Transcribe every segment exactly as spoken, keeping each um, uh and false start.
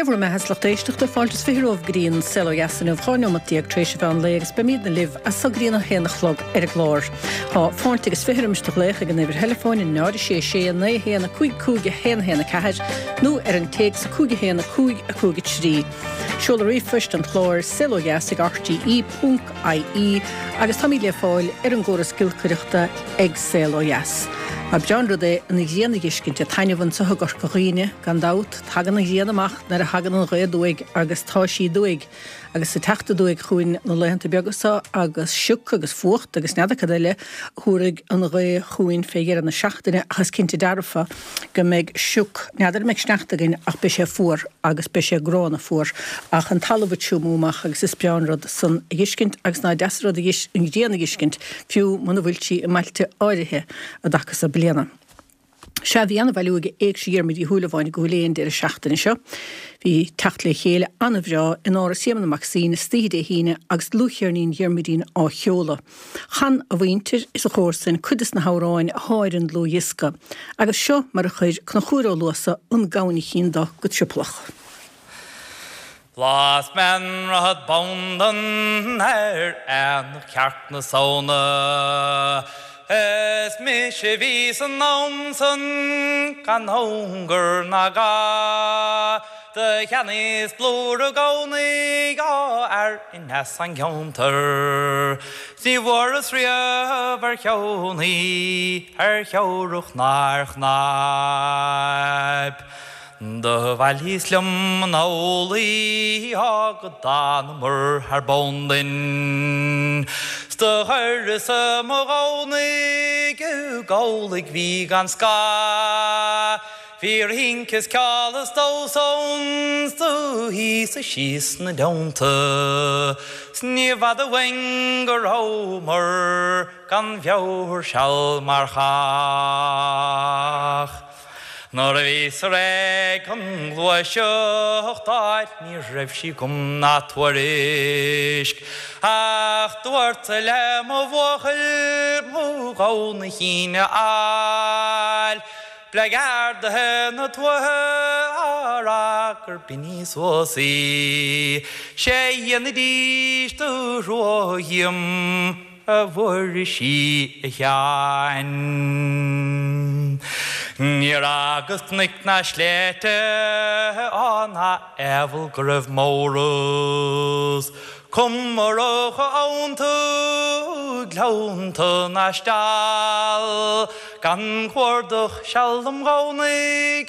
bhur mbeatha a lucht éisteachta fáilte is fiche romhaibh go dtí an Saol Ó Dheas inniu dhá neomat déag tar éis an mheán lae agus beimidne libh as so go dtí an a haon a chlog ar an gclár. Tá fáilte agus fiche roimis do ghlaoch ag an uimhir theileafóin a náid a sé sé naoi haon a cúig cúig a haon haon a ceathair nó ar an téacs cúig a haon a cúig a cúig a trí. Seoladh ríomhphoist an chláir saol ó dheas ag rte ponc ie agus táimid le fáil ar an gcóras giolcaireachta ag Saol Ó Dheas. Mar breá an rud é an ghrian a fheiscint ag taitneamh anseo i gCorca Dhuibhne gan dabht, tagann an ghrian amach nuair a thagann an ghaoth aduaidh agus tá sí aduaidh agus ag teacht aduaidh chugainn na laethanta beaga seo agus sioc agus fuacht agus n'fheadar cad eile a thabharfaidh an ghaoth chugainn fé dheireadh na seachtaine ach is cinnte dearfa go mbeidh sioc, n'fheadar an mbeidh sneachta againn ach beidh sé fuar agus beidh sé gránna fuar ach an talamh ag triomú amach agus is breá an rud san a fheiscint agus nach deas an rud an ghrian a fheiscint fiú muna bhfuil sí i mbailte áirithe i dtaca so bliana. Sea, bhí an-bhailiú ag Éigse Dhiarmuid Uí Shúilleabháin i gCúil Aodha an deireadh seachtaine seo. Bhí teacht le chéile an-bhreá in Áras Éamonn Mac Suibhne istoíche Dé hAoine agus dlúthcheirnín Dhiarmuidín á sheoladh. Chan a mhuintir is a chomharsain cuid des na hamhráin athá ar an dlúthdhiosca, agus seo mar a chuir Conchúr Ó Luasa an gamhainín do go triopallach. Las mé an rothad bondan ar aonach cearc na Samhna Is mise a bhí san am san gan ongar ná ga Do cheannaíos blúire gamhnaí dhá fhear in as an gceantar 'S ní bhfuaireas riamh ar cheann í ar theoracht ná ar chnaip. Do bhailíos liom anall í go d'fhanamar thar bonn linn. 'S do chuireas mo ghamhna i gcabhlaigh bhí gan scáth. Bhí rince is ceol is damhsa ann 's do shuíos síos 'na dteannta. 'S ní bhfada uainn go rabhamar gan mheabhair seal mar chách. Nuair a bhíos réidh chun gluaiseacht d'fháil ní raibh sí agam ná tuairisc Ach dúrt-sa le mo bhuachaill mo ghamhna a fháil B'le gardaithe na tuaithe á rá gur b'in í suas í 'Sé dhéanfaidís do thrua dhíom a Mhuiris a Sheáin. Níor fhágas cnoic ná sléibhte á ná aimheal go raibh m'amhras. Cuma raibh abhannta, gleannta ná steall, gan chuardach seal dom ghamhna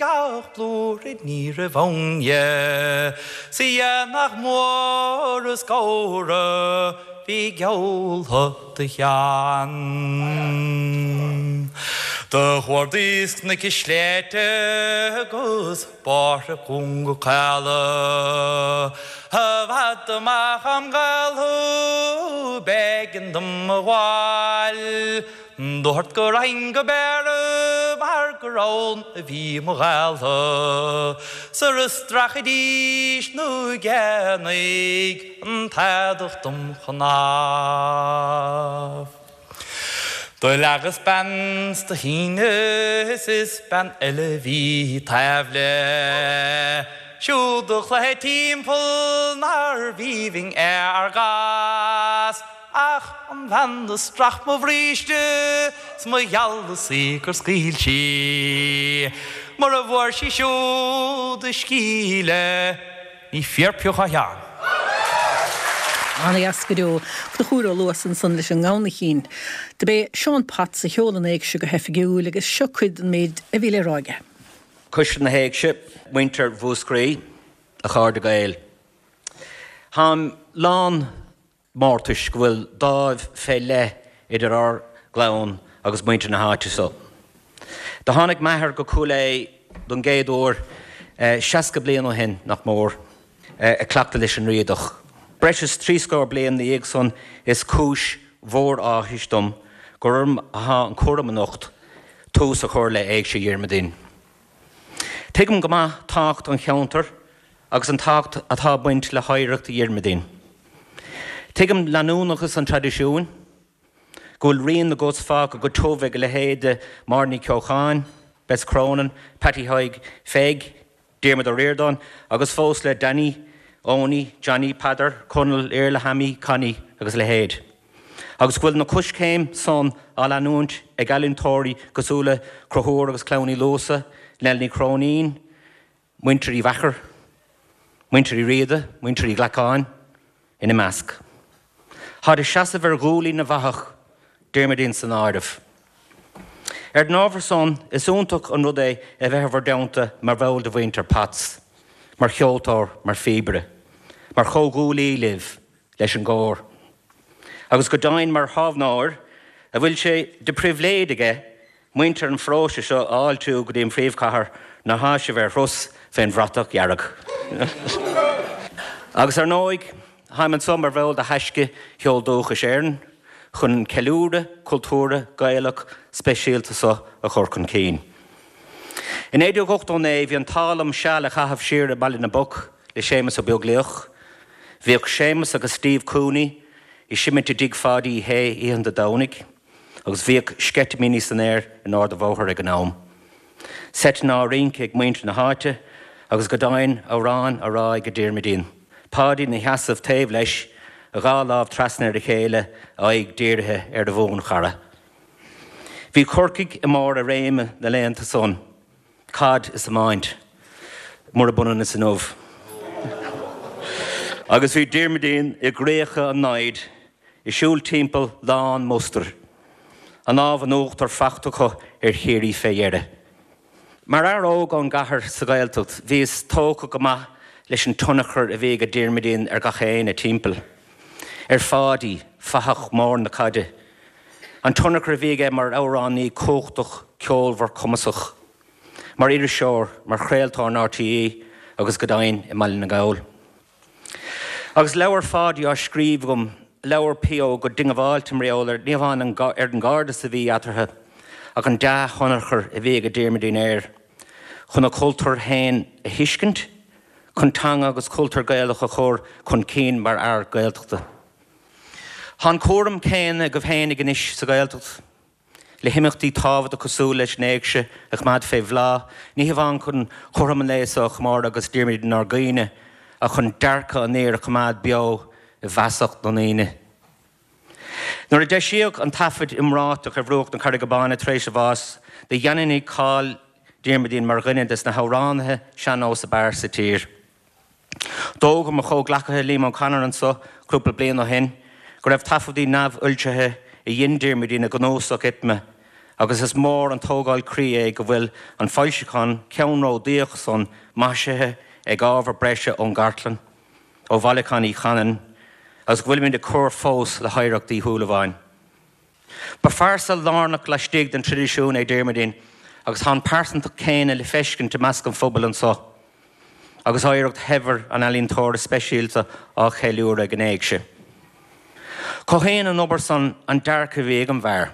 ach blúire ní raibh ann dhe. 'S a aonach mór is gabhra bhí gealltha do Sheán. Do chuardaíos cnoic is sléibhte agus bóithre cúnga caola, I bhfad amach óm ghaoltha b'éigean dom a ghabháil. Dúrt go raghainn go Béarra mar gur ann a bhí mo ghaoltha, sara stracfaidís na géannaigh an t-eadach dom chnámh. Do leagas bean 's do shíneas is bean eile bhí taobh léi. Siúd a chluiche timpeall nárbh aoibhinn é ár gcás. Ach an bhean a strach mo bhríste 's mo gheallasaí gur scaoil sí, mura bhfuair sí siúd a scíle, ní fíor pioc a Sheáin. Ana-dheas go deo. Conchúr Ó Luasa ansan leis an ngamhnaíchín. Do b'é Seán Potts a sheol an éigse go hoifigiúil agus seo cuid den méid a bhí le rá aige. Coiste na hÉigse, muintir Mhúscraí, a chairde Gael. Táim lán mórtais go bhfuil dáimh fé leith idir ár gclann agus muintir na háite so. Do tháinig m'athair go Cúil Aodha don gcéad uair seasca bliain ó shin, nach mór, ag cleachtadh leis an Riadach. Breis is trí scór bliain 'na dhiaidh san is cúis mhór áthais dom gur orm athá an cúram anocht tús a chur le Éigse Dhiarmuidín. Tuigim go maith tábhacht an cheantair agus an tábhacht atá ag baint le hoidhreacht Dhiarmuidín. Tuigim leanúnachas an traidisiúin, go bhfuil rian na gcos fágtha go tiubh ag a leithéid de Máire Ní Cheocháin, Bess Cronin, Patty Thaidhg Pheig, Diarmuid Ó Ríordáin agus fós le Danny, Owenie, Johnny, Peadar, Conall, Iarla, Hammy, Connie agus a leithéid. Agus go bhfuil na coiscéim san á leanúint ag ealaíontóirí cosúil le Conchúr agus Clann Uí Luasa, Nell Ní Chróinín, Muintir Uí Mheachair, Muintir Uí Riada, Muintir Uí Ghlacáin ina measc. Táid ag seasamh ar ghuaillí na bhfathach, Diarmuidín san áireamh. Ar an ábhar san, is iontach an rud é a bheith i bhur dteannta mar bhall de mhuintir Pats, mar cheoltóir, mar phíobaire, mar chomhghuaillí libh leis an gcór. Agus go deimhin mar thábhairneoir a bhfuil sé de phribhléid aige muintir an pharóiste seo a fháiltiú go dtí an phríomhchathair nuair atá sibh ar thuras fén bhratach dhearg. Agus ar ndóigh, táim anso mar bhall de Thaisce Cheol Dúchais Éireann chun an ceiliúradh cultúrtha Gaelach speisialta seo a chur chun cinn. I naoi déag ochtó naoi bhí an t-ádh liom seal a chaitheamh siar i mBaile na bPoc le Séamus Ó Beaglaoich. Bhíodh Séamus agus Steve Cooney ag seimint i dtigh Pháidí Uí Shé oícheanta Domhnaigh agus bhíodh sceitimíní san aer in Ard an Bhóthair ag an am. Seiteanna á rince ag muintir na háite agus go deimhin amhráin á rá ag Diarmuidín. Páidí ina sheasamh taobh leis, a dhá lámh trasna ar a chéile, a aghaidh dírithe ar a bhuanchara. Bhí Corcaigh i mbarr a réime na laethanta san, caid is iomáint, murab ionann is inniu. Agus bhí Diarmuidín i gcríocha an namhad, ag siúl timpeall lán mustair, an lámh in uachtar fachta acu ar Chiarraí fé dheireadh. Mar fhear óg ón gcathair sa Ghaeltacht, bhíos tógtha go maith leis an tionchar a bhí ag Diarmuidín ar gach éinne timpeall. Ar Pháidí, fathach mór na caide. An tionchar a bhí aige mar amhránaí cumhachtach, ceolmhar, cumasach. Mar iriseoir, mar chraoltóir in RTÉ agus go deimhin i mBaile na nGall. Agus leabhar Pháidí á scríobh agam, labhair P.O. go diongbháilte mar gheall ar, ní hamháin ar an gcairdeas a bhí eatarthu, ach an dea-thionchar a bhí ag Diarmuidín air, chun a chultúr féin a thuiscint, chun teanga agus cultúr Gaelach a chur chun cinn mar fhear Gaeltachta. Tá an cúram céanna agaibh féinig anois sa Ghaeltacht, le himeachtaí tábhachtacha cosúil leis an Éigse a choimeád fé bhláth, ní hamháin chun cothrom an lae seo a chomóradh agus Diarmuidín inár gcuimhne, ach chun dearcadh an fhir a choimeád beo i bhfeasacht na ndaoine. Nuair a deisíodh an taifead iomráiteach ar bhruach na Carraige Báine tar éis a bháis, do dhaingnigh cáil Diarmuidín mar dhuine des na hamhránaithe sean-nós ab fhearr sa tír. D'fhógair mo chomhghleacaithe Liam O'Connor anso cúpla bliain ó shin go raibh taifeadtaí neamhfhoilsithe a dhein Diarmuidín i gcnuasach ITMA agus is mór an tógáil croí é go bhfuil an foilseachán ceannródaíoch san maisithe ag ábhar breise ón gcartlann, ó bhailiúchán Uí Chanainn agus go bhfuilimid ag cur fós le hoidhreacht Uí Shúilleabháin. Ba phearsa lárnach laistigh den traidisiún é Diarmuidín agus tá an pearsantacht chéanna le feiscint i measc an phobail anso agus oidhreacht shaibhir an ealaíontóra speisialta á cheiliúradh ag an Éigse. Cothaíonn an obair san an dearcadh a bhí ag an bhfear.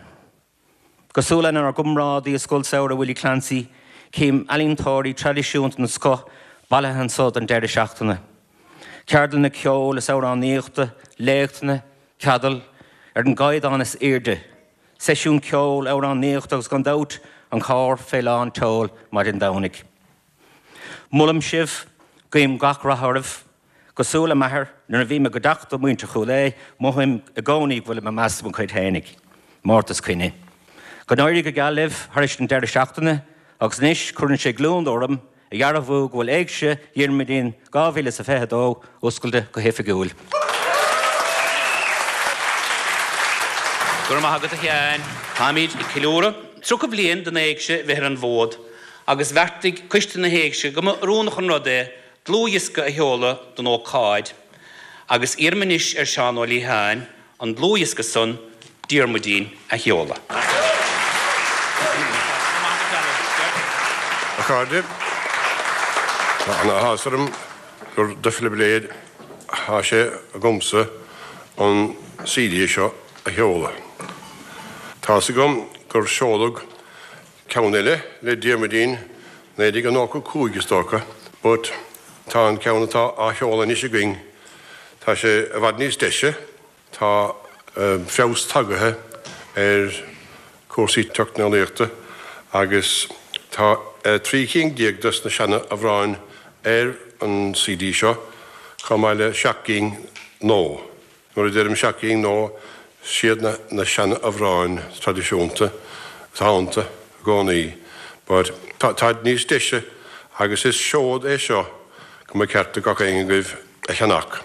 Cosúil lenár gcomrádaí i Scoil Samhraidh Willie Clancy, cím ealaíontóirí traidisiúnta den scoth bailithe anso don deireadh seachtaine. Ceardlanna ceoil is amhránaíochta, léachtanna, ceadail, ar an gcaighdeán is airde, seisiún ceoil, amhránaíochta agus gan dabht an carr fé lán tseoil maidin Domhnaigh. Molaim sibh, guím gach rath oraibh. Cosúil le m'athair, nuair a bhím i gcuideachta muintir Chúil Aodha, mothaím i gcónaí go bhfuilim i measc mo chuid fhéinig. Mórtas coinne. Go n-éirí go geal libh thar éis an deireadh seachtaine agus anois cuireann sé gliondar orm a dhearbhú go bhfuil Éigse Dhiarmuidín dhá mhíle is a fiche a dó oscailte go hoifigiúil. Go raibh maith agat a Sheáin. Táimid ag ceiliúradh tríocha bliain den Éigse bheith ar an bhfód agus bheartaigh Coiste na hÉigse go mba oiriúnach an rud é dlúthdhiosca a sheoladh don ócáid agus iarraim anois ar Sheán Ó Liatháin an dlúthdhiosca san, Diarmuidín, a sheoladh. A chairde, tá an-áthas orm gur de phribhléid atá sé agamsa an CD seo a sheoladh. Tá's agam gur seoladh ceann eile le Diarmuidín naoi déag nócha cúig is dócha, but tá an ceann atá á sheoladh anois againn, tá sé i bhfad níos deise, tá feabhas tagaithe ar chúrsaí teicneolaíochta agus tá trí cinn déag des na seana-amhráin ar an C D seo, chomh maith le seacht gcinn nua. Nuair a deirim seacht gcinn nua, siad na, na seanamhráin traidisiúnta atá iontu i gcónaí, but táid níos deise agus is seod é seo go mba ceart do gach éinne agaibh a cheannach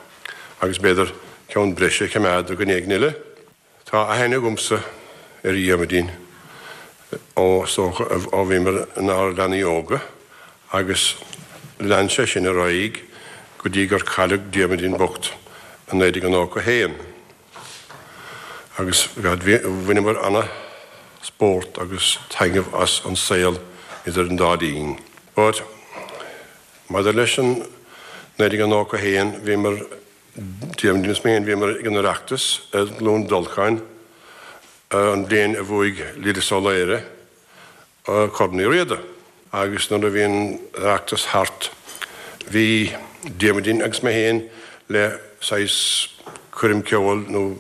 agus b'fhéidir ceann breise a choimeád do dhuine éigin eile. Tá aithne agamsa ar Dhiarmuidín ó ó bhíomar inár leanaí óga agus lean sé sin ar aghaidh go dtí gur cailleadh Diarmuidín bocht i naoi déag nócha haon. Agus bhaineamar an-spórt agus taitneamh as an saol idir an dá linn. But maidir leis an naoi déag nócha haon bhíomar Diarmuidín is mé bhíomar ag an Oireachtas i gCluain Dolcáin an bhliain a bhuaigh Lillis Ó Laoire Corn Uí Riada. Agus nuair a bhí an Oireachtas thart bhí Diarmuidín agus mé féin le saghas coirm ceoil nó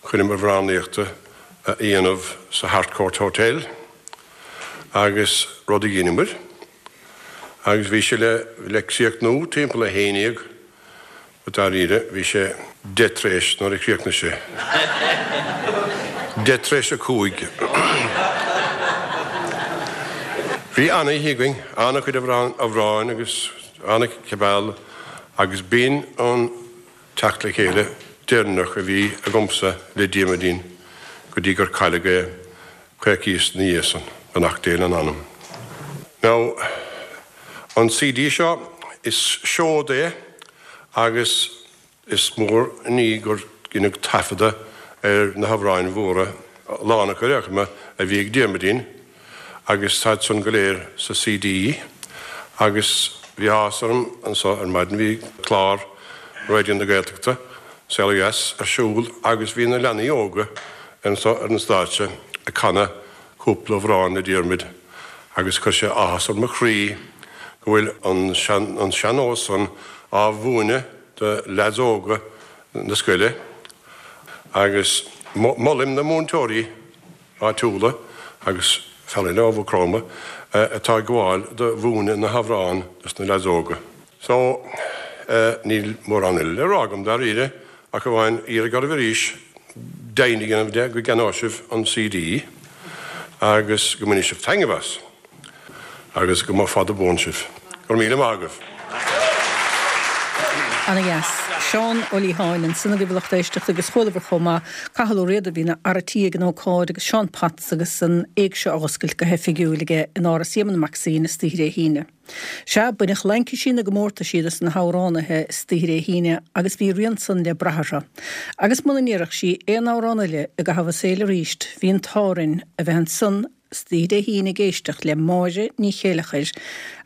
coirm amhránaíochta a dhéanamh sa Harcourt Hotel agus rud a dheineamar agus bhí sé le le críochnú timpeall a haon déag dáiríre bhí sé deich tar éis nuair a chríochnaigh sé. Deich tar éis a cúig. Bhí an-oíche againn, an-chuid amhráin agus an-chibeal agus b'in an teacht le chéile deireanach a bhí agamsa le Diarmuidín go dtí gur cailleadh é coicís ina dhiaidh san, beannacht Dé lena anam. Now, an C D seo is seod é agus is mór an ní gur deineadh taifeadadh ar na hamhráin mhóra lán acu a bhí ag Diarmuidín agus táid san go léir sa C D agus bhí áthas orm anseo ar maidin bhí clár Raidió na Gaeltachta Saol Ó Dheas ar siúl agus bhí na leanaí óga anseo ar an stáitse ag canadh cúpla amhrán le Diarmuid agus chuir sé áthas ar mo chroí go bhfuil an an sean-nós san á mhúineadh do leaids óga na scoile agus molaim na múinteoirí áitiúla agus fear eile ó Mhaigh Chromtha atá ag gabháil do mhúineadh na hamhráin dos na leaids óga. So níl mórán eile le rá agam dáiríre ach amháin iarraidh oraibh arís deimhin a dhéanamh de go gceannóidh sibh an C D agus go mbainfidh sibh taitneamh as agus go mba fada buan sibh. Go raibh míle maith agaibh. Ana-dheas. Seán Ó Liatháin ansin agaibh a lucht éisteachta agus chualamar chomh maith Cathal Ó Riada bhí ina fhear tí ag an ócáid agus Seán Potts agus an éigse á oscailt go hoifigiúil aige in Áras Éamonn Mac Suibhne istoíche Dé hAoine. Sea, baineadh laincisí na gcomórtaisí dos na hamhránaithe istoíche Dé hAoine agus bhí rian san le brath orthu. Agus muna ndéarfadh sí aon amhrán eile i gcaitheamh a saoil arís, bhí an t-ádh orainn a bheith ansan istoíche Dé hAoine ag éisteacht le Máire Ní Chéileachair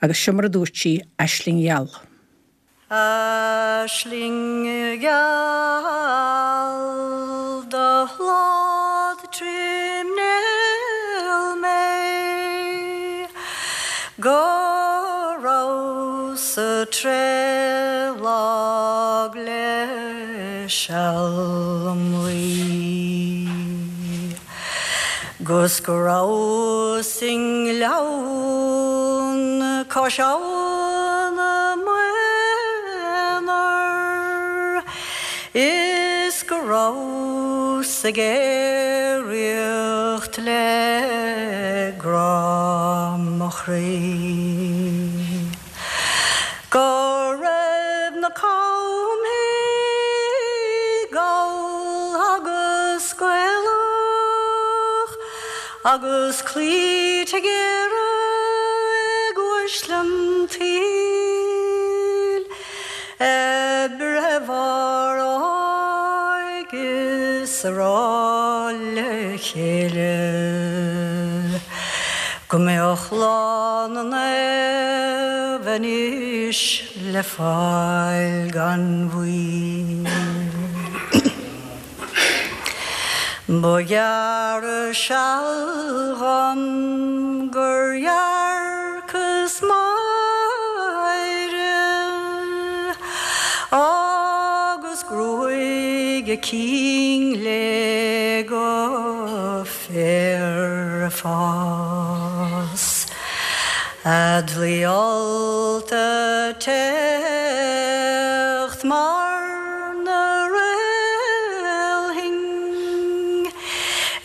agus seo mar a dúirt sí Aisling Gheal. Aisling gheal do shlad trí néal mé go rabhas tréadlag le sealmlaí 'Gus go rabhas i ngleann cois abhann m'aonar is go rabhas ag aeraíocht le grá mo chroí. Go raibh na camthaí gall agus gaelach agus cloíte géara ag uaisle an tsaoil ag breith ar aghaidh is a rá le chéile go mbeadh lá na naomh anois le fáil gan mhoill. Ba ghearr seal dhom gur dhearcas Máire agus gruaig a cinn léi go féar ag fás. A dlaoi allta teacht mar na réalthaí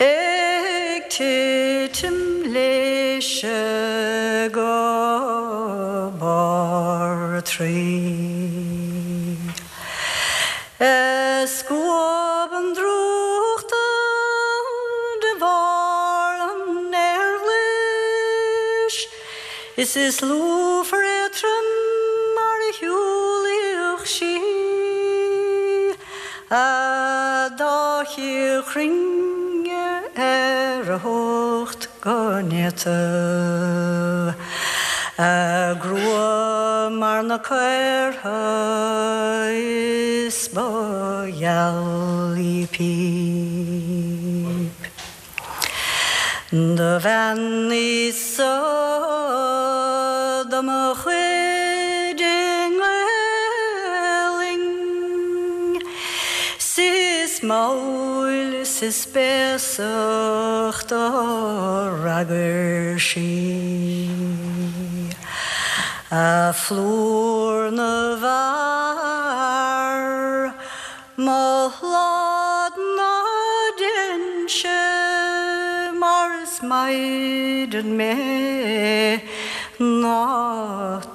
ag titim léise go barr a Traí. Scuab an drúchta de bharr an aeir ghlais, Is is lúfar éadrom mar a shiúlaíodh sí, A dá chíor chruinne ar a hucht go néata. A grua mar na caortha is ba gheal í píp. Do bhean í so do mo chuid i nGaelainn, 's is mall 's is béasach do fhreagair sí. A phlúr na bhfear, mo shlad ná deinse mar is maighdean mé ná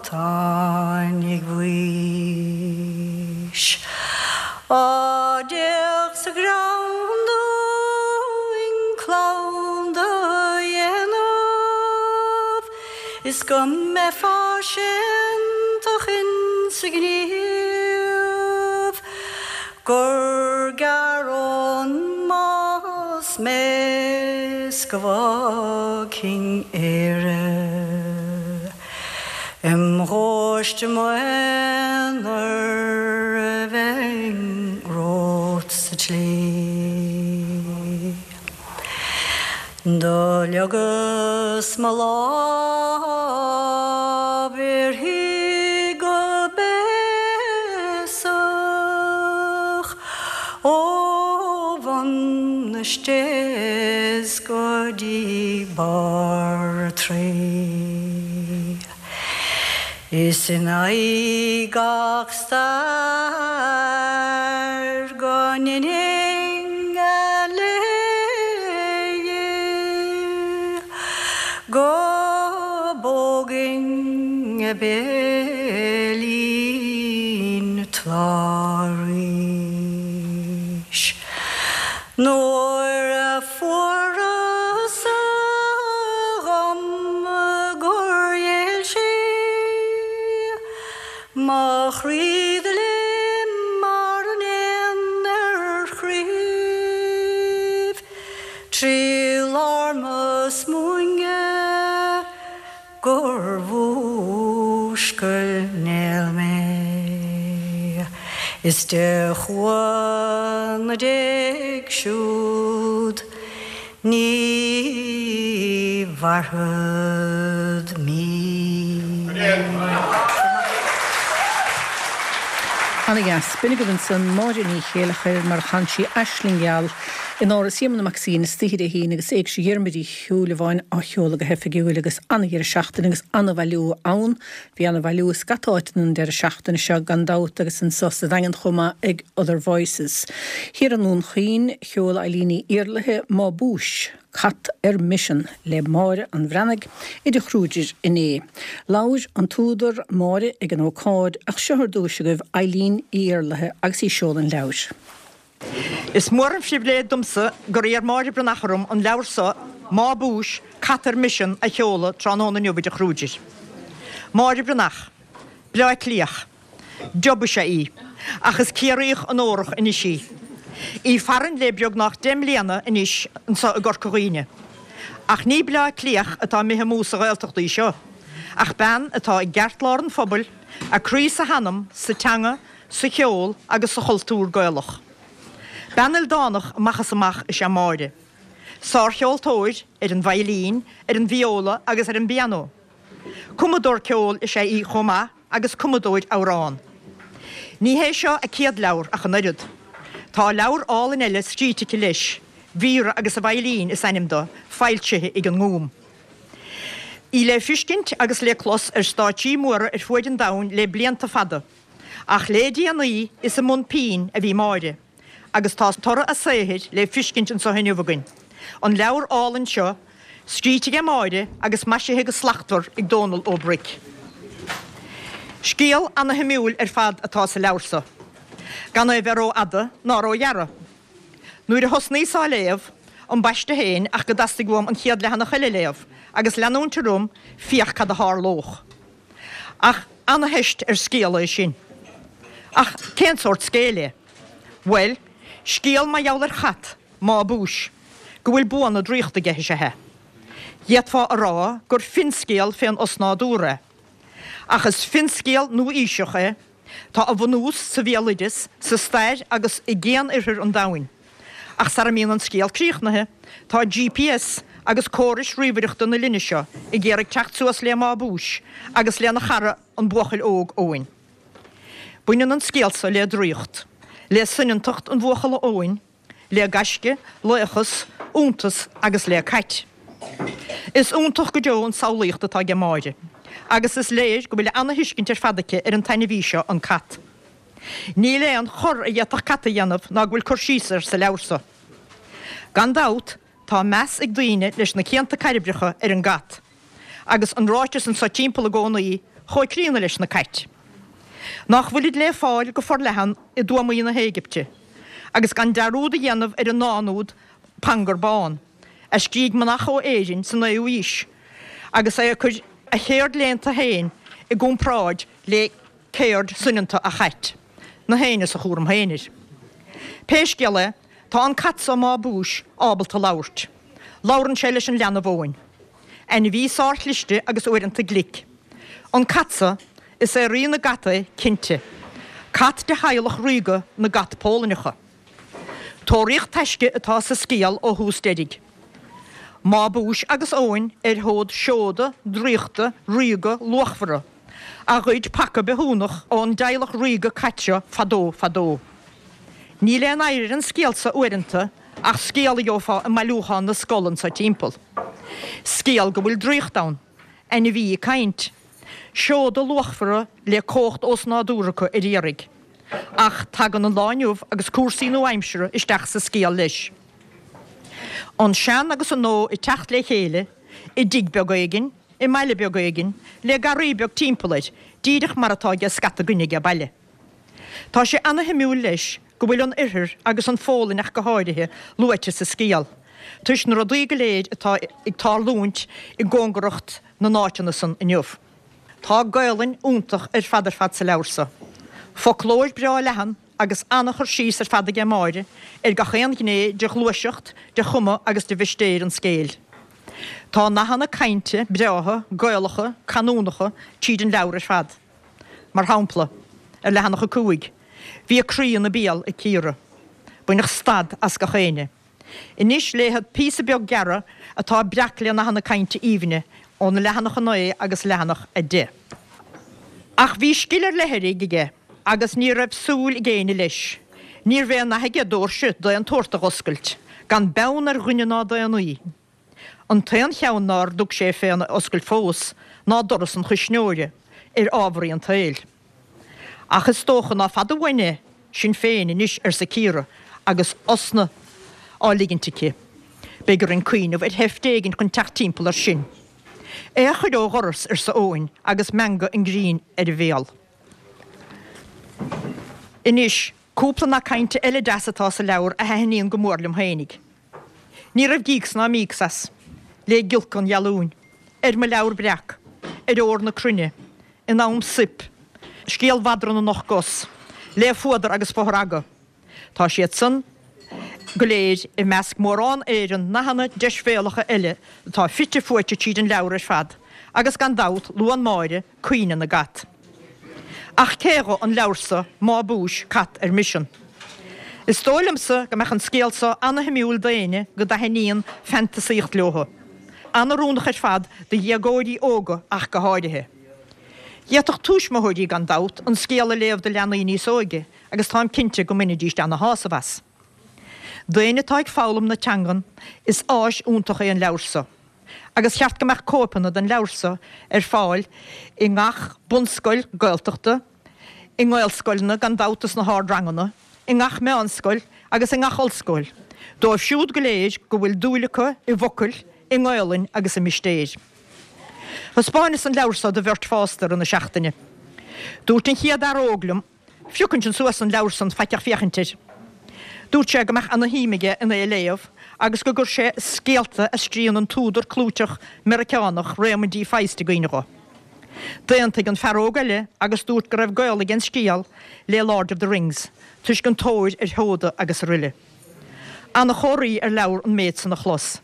táinig bhaois. Á d'fhéach sa ghleann dúinn clann do dhéanamh, Is go mbeifeá séantach insa ghníomh, Gur gearr ón mbás mé 's go bhfágfainn Éire. Im ghaiste m'aonar a bheinn romhat sa tslí. Do leagas mo lámh uirthi go béasach ó bhun na stéas go dtí barr a Traí. Is in aghaidh gach stair go ndeininn a léi, go bpógfainn a béilín tláth arís. Nuair a fuaras-sa dhom gur ghéill sí, mo chroí do léim mar an éan ar chraobh, Trí lár mo smúine gur mhúscail néal mé. Is de chumha na d'éag siúd ní mhairfead mí. Ana-dheas, b'in agaibh ansan Máire Ní Chéilleachair mar a chan sí Aisling Gheal in Áras Éamonn Mac Suibhne istoíche Dé hAoine agus Éigse Dhiarmuid Uí Shúilleabháin á sheoladh go hoifigiúil agus ana-dheireadh seachtaine agus ana-bhailiú ann. Bhí ana-bhailiú i scata áiteanna an deireadh seachtaine seo gan dabht agus anso sa Daingean chomh maith ag Other Voices. Thiar i nDún Chaoin, sheol Eileen Ní Iarlaithe Má Búis, Cat ar Misean le Máire an Bhreathnaigh i dTigh Kruger inné. Labhair an t-údar Máire ag an ócáid ach seo ar dtús agaibh Eileen Ní Iarlaithe agus í ag seoladh an leabhair. Is mór an phribhléid domsa gur iarr Máire Breathnach orm an leabhar seo, Má Búis, Cat ar Misean a sheoladh tráthnóna inniu i dTigh Kruger. Máire Breathnach, Bleá Cliath. Job is ea í, ach is Ciarraíoch onórach anois í. Í farainn le beagnach deich mbliana anois anso i gCorca Dhuibhne. Ach ní Bleá Cliath atá imithe amú sa Ghaeltacht í seo, ach bean atá i gceartlár an phobail, a croí 's a hanam sa teanga, sa cheol agus sa chultúr Gaelach. Bean ildánach amach is amach is ea Máire. Sárcheoltóir ar an veidhlín, ar an vióla agus ar an bpianó. Cumadóir ceoil is ea í chomh maith agus cumadóir amhrán. Ní hé seo a céad leabhar ach an oiread. Tá leabhar álainn eile scríte aici leis, Vera agus a Veidhlín is ainm dó, foilsithe ag an nGúm. Í le feiscint agus le clos ar stáitsí móra ar fuaid an domhain le blianta fada, ach le déanaí is i mbun pinn a bhí Máire, agus tá toradh a saothair le feiscint anso inniu againn. An leabhar álainn seo, scríte age Máire agus maisithe go slachtmhar ag Dónal Ó Bruic. Scéal ana-shuimiúil ar fad atá sa leabhar so. Gan é bheith ró-fhada ná ró-ghearra. Nuair a thosnaíos á léamh, ambaiste féin ach go dteastaigh uaim an chéad leathanach eile a léamh agus leanúint orm féach cad a tharlódh. Ach ana-theist ar scéal é sin. Ach cén sórt scéil é? Bhuel, scéal mar gheall ar chat, Mábús, go bhfuil buanna draíochta aige is ea é. D'fhéadfá a rá gur finscéal fén osnádúr é. Ach is finscéal nua-aoiseach é, tá a bhunús sa bhéaloideas, sa stair agus i gcian-oirthear an domhain. Ach sara mbíonn an scéal críochnaithe, tá GPS agus córais ríomhaireachta na linne seo ag iarraidh teacht suas le Mábús agus lena chara an buachaill óg Eoin. Baineann an scéal so le draíocht, le soineantacht an bhuachalla Eoin, le gaisce, laochas, iontas agus le cait. Is iontach go deo an samhlaíocht atá aige Máire, agus is léir go bhfuil ana-thuiscint ar fad aici ar an t-ainmhí seo, an cat. Níl aon chor a d'fhéadfadh cat a dhéanamh ná go bhfuil cur síos air sa leabhar so. Gan dabht, tá meas ag daoine leis na cianta cairbreacha ar an gcat, agus an ráiteas anso timpeall i gcónaí chomh críonna leis na cait. Nach bhfuilid le fáil go forleathan i dtuamaí na hÉigipte, agus gan dearúd a dhéanamh ar an ndán úd Pangur Bán, a scrígh manach ó Éirinn sa naoú aois, agus é ag cur a cheird léannta féin i gcomparáid le ceird soineanta a' chait, na héinne sa chúram féin air. Pé scéal é, tá an cat so Mábús ábalta labhairt. Labhrann sé leis an leanbh Eoin. Ainmhí sárchliste agus uaireanta glic. An cat so, is é rí na gcat é, cinnte. Cat de theaghlach ríoga na gcat Pólainneacha. Tóraíocht taisce atá sa scéal ó thús deiridh. Mábús agus Eoin ar thód seoda draíochta ríoga luachmhara a ghoid paca bithiúnach ón dteaghlach ríoga cat seo fadó fadó. Níl aon oidhre ar an scéal so uaireanta ach scéal a gheofá i mbailiúchán na scol anso timpeall. Scéal go bhfuil draíocht ann, ainmhí ag caint, seoda luachmhara le cumhacht osnádúrtha acu ar iarraidh. Ach tagann an lá inniu agus cúrsaí nua-aimseartha isteach sa scéal leis. An sean agus an nua ag teacht le chéile i dtigh beag éigin, i mbaile beag éigin, le garraí beag timpeall air, díreach mar atá age scata againne age baile. Tá sé ana-shuimiúil leis go bhfuil an Oirthear agus an Pholainn ach go háirithe luaite sa scéal, toisc na rudaí go léir atá ag tarlúint i gcóngaracht na n-áiteanna san inniu. Tá Gaelainn iontach ar fad ar fad sa leabhar so. Foclóir breá leathan agus ana-chur síos ar fad aige Máire ar gach aon ghné de ghluaiseacht, de chuma agus de mhistéir an scéil. Tá nathanna cainte breátha, Gaelacha, canúnacha tríd an leabhar ar fad. Mar shampla, ar leathanach a cúig, Bhí a croí ina béal ag Ciara. Baineadh stad as gach éinne. Anois léifead píosa beag gearra atá breac le nathanna cainte aoibhne ó na leathanach a naoi agus leathanach a deich. Ach bhí scil ar leith aige agus ní raibh súil ag éinne leis. Níorbh aon nath aige doirse d'aon tsórt a dh'oscailt, gan beann ar dhuine ná daonnaí. An t-aon cheann nár dtug sé féna oscailt fós ná doras an chuisneora, ar ámharaí an tsaoil. Ach is dócha ná fada uainn é sin féin anois, arsa Ciara agus osna á ligint aici. Beidh orainn cuimhneamh ar sheift éigin chun teacht timpeall air sin. É a chur ó dhoras, arsa Eoin agus meangadh an ghrinn ar a bhéal. Anois, cúpla nath cainte eile deas atá sa leabhar a thaitníonn go mór liom fhéinig. Ní raibh gíocs ná míocs as. Le giolcadh an ghealúin. Ar mo leabhar breac. Ar ór na cruinne. In am soip. Scéal mhadra na n-ocht gcos. Le fuadar agus fothragadh. Tá siad san go léir i measc mórán Éireann nathanna deisbhéalacha eile atá fite fuaite tríd an leabhar ar fad, agus gan dabht luann Máire caoineadh na gcat. Ach cé dho an leabhar so Mábús, cat ar misean? Is dóigh liomsa go mbeadh an scéal so ana-shuimiúil d'éinne go dtaitníonn fantasaíocht leothu. An-oiriúnach ar fad do dhéagóirí óga ach go háirithe. D'fhéadfadh tuismitheoirí, gan dabht, an scéal a léamh do leanaí níos óige agus táim cinnte go mbainfidíst ana-shásamh as. D'éinne atá ag foghlaim na teangan, is áis iontach é an leabhar so. Agus cheart go mbeadh cóipeanna den leabhar so ar fáil i ngach bunscoil Gaeltachta, i nGaelscoileanna gan dabht sna hardranganna, i ngach meánscoil agus i ngach ollscoil, dóibh siúd go léir go bhfuil dúil acu i bhfocail, i nGaelainn agus i mistéir. Thaispeáineas an leabhar so do bheirt fásta i rith na seachtaine. Dúirt an chéad fhear óg liom, Phioc ansin suas an leabhar san faiteach féachaint air. Dúirt sé go mbeadh ana shuim aige in é a léamh agus go gcuir sé scéalta a scríonn an t-údar clúiteach Meiriceánach Raymond D. Feist i gcuimhne dho. D'aontaigh an fear óg eile agus dúirt go raibh gaol ag an scéal le Lord of the Rings toisc an tóir ar sheoda agus aroile. Ana chomhartha ar leabhar an méid san a chlos.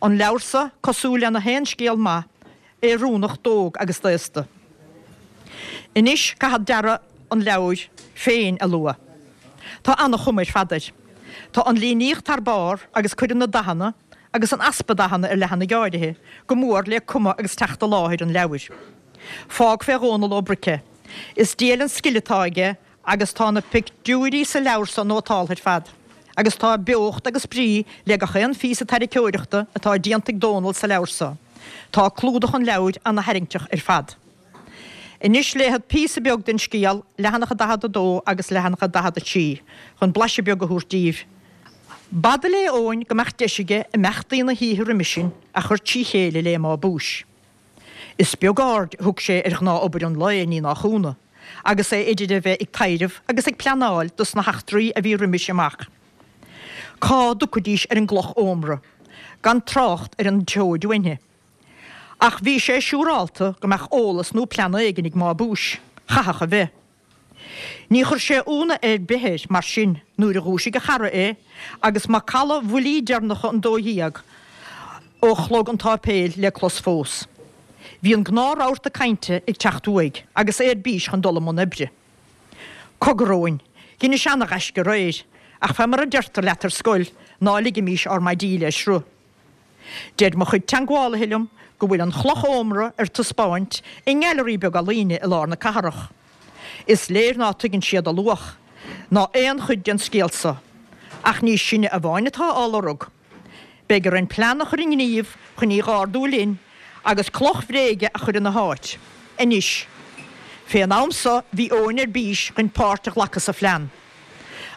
An leabhar so cosúil le na haon scéal maith, oiriúnach d'óg agus d'aosta. Anois caithfead dearadh an leabhair féin a lua. Tá ana-chuma ar fad air. Tá an líníocht thar barr agus cuireann na dathanna, agus an easpa dathanna ar leathanaigh áirithe, go mór le cuma agus teacht i láthair an leabhair. Fág fé Dhónal Ó Bric é. Is diail an scil atá aige agus tá na pictiúirí sa leabhar so nótáltha ar fad. Agus tá beocht agus brí le gach aon phíosa tarraiceoireachta atá déanta ag Dónal sa leabhar so. Tá clúdach an leabhair ana-tharraingteach ar fad. Anois léifead píosa beag den scéal, leathanach a daichead a dó agus leathanach a daichead a trí, chun blaiseadh beag a thabhairt daoibh. B'fhada le Eoin go mbeadh deis aige imeachtaí na hoíche roimis sin a chur trí chéile le Má Búis. Is beag aird a thug sé ar ghnáth-obair an lae, ní nach ionadh, agus é idir a bheith ag taidhreamh agus ag pleanáil dos na heachtraí a bhí roimis amach. Cá dtiocfaidís ar an gcloch ómra, gan trácht ar an tseoid uainthi? Ach bhí sé siúrálta go mbeadh eolas nó plean éigin ag Má Búis. Chaithfeadh a bheith. Ní chuir sé ionadh ar bith air, mar sin, nuair a dhúisigh a chara é agus macalla bhuillí deireanacha an dó dhéag ó chlog an tsáipéil le clos fós. Bhí an gnáth-rabharta cainte ag teacht uaidh agus é ar bís chun dul i mbun oibre. Cogar, a Eoin, dheinis ana-ghaisce aréir, ach fé mar a deirtear leat ar scoil, ná ligimís ár maidí le sruth. Deir mo chuid teangmhálaithe liom go bhfuil an chloch ómra ar taispeáint i ngailearaí beag ealaíne i lár na cathrach. Is léir ná tuigeann siad a luach, ná aon chuid den scéal so. Ach ní sinne amháin atá á lorg. Beidh orainn plean a chur i ngníomh chun í dh'ardú linn agus cloch bhréige a chur ina háit. Anois. Fén am so bhí Eoin ar bís chun páirt a ghlacadh sa phlean.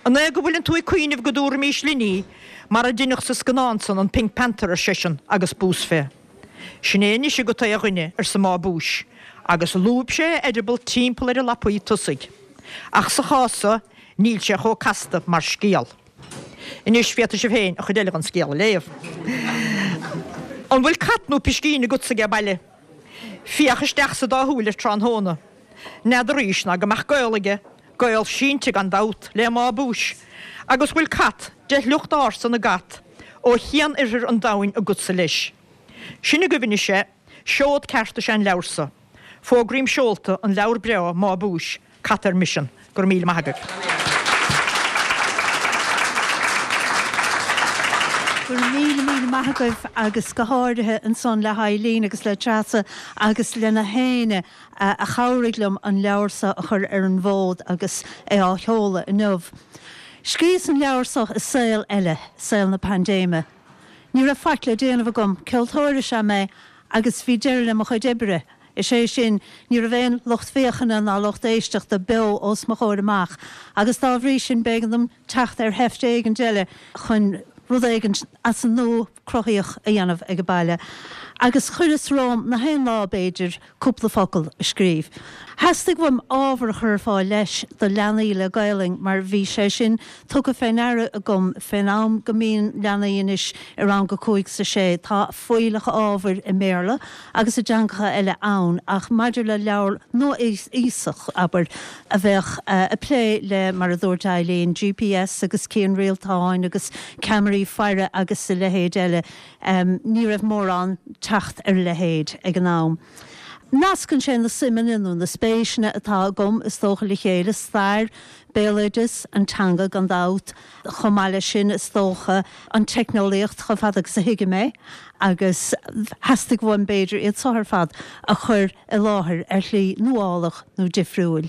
An é go bhfuileann tú ag cuimhneamh go dtabharfaimís linn í, mar a deineadh sa scannán san, an Pink Panther, ar seisean agus bús fé. Sin é anois agat é a dhuine, arsa Má Búis, agus lúb sé a eireaball timpeall ar a lapaí tosaigh. Ach sa chás so, níl sé chomh casta mar scéal. Anois, féadfaidh sibh féin an chuid eile den scéal a léamh. An bhfuil cat nó piscín agatsa age baile? Féach isteach sa dá shúil air tráthnóna. N'fheadar aois ná go mbeadh gaol aige, gaol sínte gan dabht, le Má Búis, agus bhfuil cat de shliocht ársa na gcat ó chian-oirthear an domhain agatsa leis. Sin agaibh anois é, seod ceart is ea an leabhar so. Fógraím seolta an leabhar breá Má Búis, Cat ar Misean. Go raibh míle maith agaibh. Go raibh míle míle maith agaibh agus go háirithe ansan le hEileen agus le Treasa agus le na héinne a chabhraigh liom an leabhar seo a chur ar an bhfód agus é á sheoladh inniu. Scríos an leabhar seo i saol eile, saol na paindéime. Ní raibh faic le déanamh agam, ceoltóir is ea mé agus bhí deireadh le mo chuid oibre, is é sin, ní raibh aon lucht féachana ná lucht éisteachta beo os mo chomhair amach agus dá bhrí sin b'éigean dom teacht ar sheift éigin eile chun rud éigin as an nua cruthaíoch a dhéanamh ag baile. Agus chuireas romham na haon lá, b'fhéidir, cúpla focal a scríobh. Theastaigh uaim ábhar a chur ar fáil leis do leanaí le Gaelainn mar bhí sé sin tugtha fé ndeara agam fén am go mbíonn leanaí anois i rang a cúig 's a sé tá fuílleach ábhair i mBéarla agus i dteangacha eile ann ach maidir le leabhar nua-aoiseach, abair, a bheadh ag plé le, mar a dúirt Eileen, GPS agus cianrialtáin agus ceamaraí faire agus a leithéid eile, ní raibh mórán teacht ar a leithéid ag an am. Nascann sé na suimeanna nó na spéiseanna atá agam, is dócha, le chéile, stair, béaloideas, an teanga gan dabht, chomh maith leis sin, is dócha, an teicneolaíocht chomh fada agus a thuigim é, agus theastaigh uaim, b'fhéidir, iad seo ar fad a chur i láthair ar shlí nuálach nó difriúil.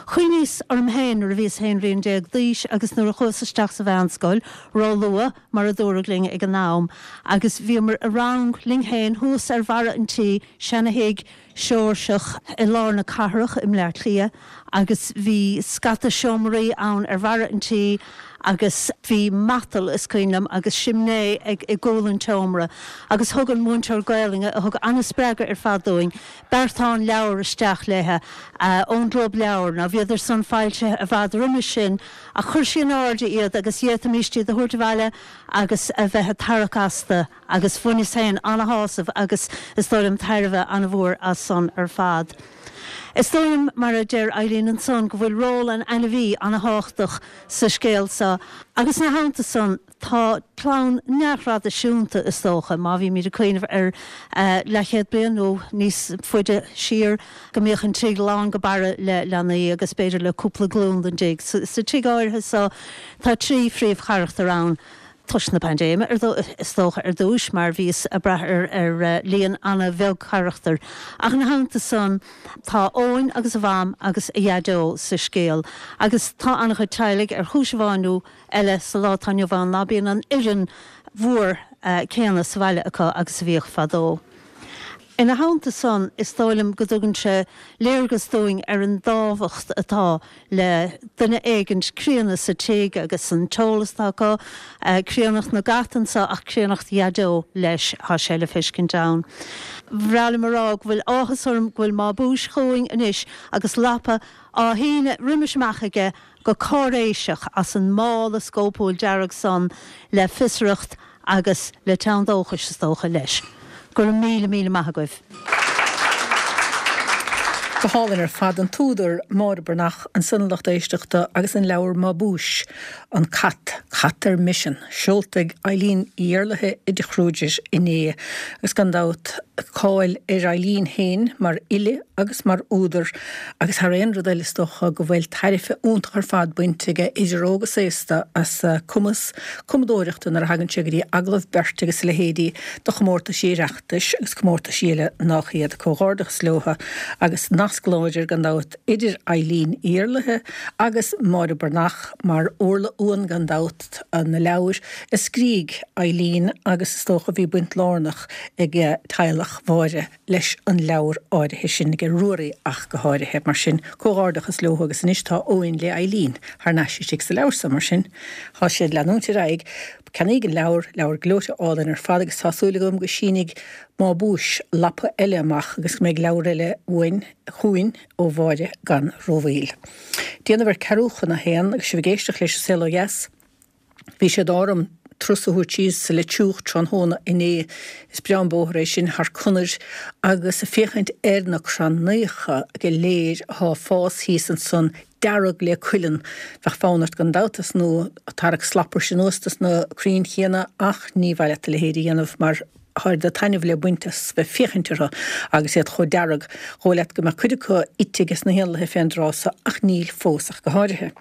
Chuimhníos orm féin nuair a bhíos aon bhliain déag d'aois agus nuair a chuas isteach sa mheánscoil, ró-luath, mar a dúradh linn ag an am, agus bhíomar i rang linn féin thuas ar bharra an tí, seana-thigh Seoirseach i lár na cathrach i mBleá Cliath, agus bhí scata seomraí ann ar bharra an tí agus bhí matal, is cuimhin liom, agus simné ag i gcúl an tseomra agus thug an múinteoir Gaelainne, a thug an-spreagadh ar fad dúinn, beartán leabhar isteach léithe ón gClub Leabhar, ná bhíodar san foilsithe i bhfad roimis sin ach chuir sí in airde iad agus d'fhéadfaimíst iad a thabhairt abhaile agus a bheith ag tarrac astu agus bhaineas féin ana-shásamh agus is dóigh liom tairbhe ana-mhór as san ar fad. Is dóigh liom, mar a deir Eileen ansan, go bhfuil ról an ainmhí ana-thábhachtach sa scéal seo agus ina theannta san tá clann neamhthraidisiúnta, is dócha, má bhímid ag cuimhneamh ar leathchéad bliain nó níos faide siar, go mbíodh an tigh lán go barra le leanaí agus b'fhéidir le cúpla glúin den dtigh. Sa tigh áirithe seo tá trí phríomhcharachtar ann. toisc na paindéime, is dócha, ar dtúis, mar bhíos ag brath ar líon an-bheag carachtar. Ach ina theannta san, tá Eoin agus a mham agus a dhaideo sa scéal, agus tá an-chuid teaghlaigh, ar chúis amháin nó eile, sa lá atá inniu ann, ná bíonn an fhoireann mhór céanna sa bhaile acu agus a bhíodh fadó. Ina theannta san, is dóigh liom go dtugann sé léargas dúinn ar an dtábhacht atá le duine éigint críonna sa tigh agus an t-eolas atá acu, críonnacht na gcat anso ach críonnacht Dhaideo leis, tá sé le feiscint ann. Bhreá liom a rá go bhfuil áthas orm go bhfuil Má Búis chugainn anois agus lapa á shíneadh roimis amach aige go cáiréiseach as an mála scópúil dearg san le fiosracht agus le teann dóchais, is dócha, leis. Go raibh míle míle maith agaibh. Go hálainn ar fad. An t-údar, Máire Breathnach, ansan a lucht éisteachta agus an leabhar Má Búis, An Cat, Cat ar Misean, seolta ag Eileen Uí Éarlaithe i dTigh Kruger inné. Agus gan dabht, cáil ar Eileen féin mar fhile agus mar údar agus thar aon rud eile is dócha go bhfuil tairbhe iontach ar fad bainte aige idir óg is aosta as a cumas cumadóireachta nuair a thagann sé go dtí agallamh beirte agus a leithéidí do chomórtaisí Oireachtais agus comórtaisí eile nách iad. Comhghairdeachas leo agus nasc láidir gan dabht idir Eileen Uí Éarlaithe agus Máire Breathnach mar orla uan gan dabht na leabhair a scrígh Eileen agus is dócha bhí baint lárnach ag teaghlach Mháire leis an leabhar áirithe sin, ag Ruairí ach go háirithe. Mar sin, comhghairdeachas leo agus anois tá Eoin le Eileen thar n-ais istigh sa leabhar so, mar sin, tá sé ag leanúint ar aghaidh. Ceannaíg an leabhar, leabhar gleoite álainn ar fad agus tá súil agam go sínfidh Má Búis lapa eile amach agus go mbeidh leabhar eile uainn, chugainn ó Mháire gan rómhoill. Déanamh ar ceathrú chun a haon agus sibh ag éisteacht leis An Saol Ó Dheas. Bhí sé d'ádh orm turas a thabhairt síos sa Leitriúch tráthnóna inné. Is breá an bóthar é sin thar conair agus ag féachaint ar na crannaíocha go léir athá ag fás thíos ansan dearg le cuileann. Bheadh fonn ort gan dabht tosnú ag tarrac slabhrais anuas dos na crainn chéanna ach ní mhaith leat a leithéid a dhéanamh mar tá oiread taitneamh le baint as bheith féachaint orthu agus iad chomh dearg. Dhóigh leat go mbeadh cuid acu ite ages na héanlaithe fén dtráth so ach níl fós ach go háirithe.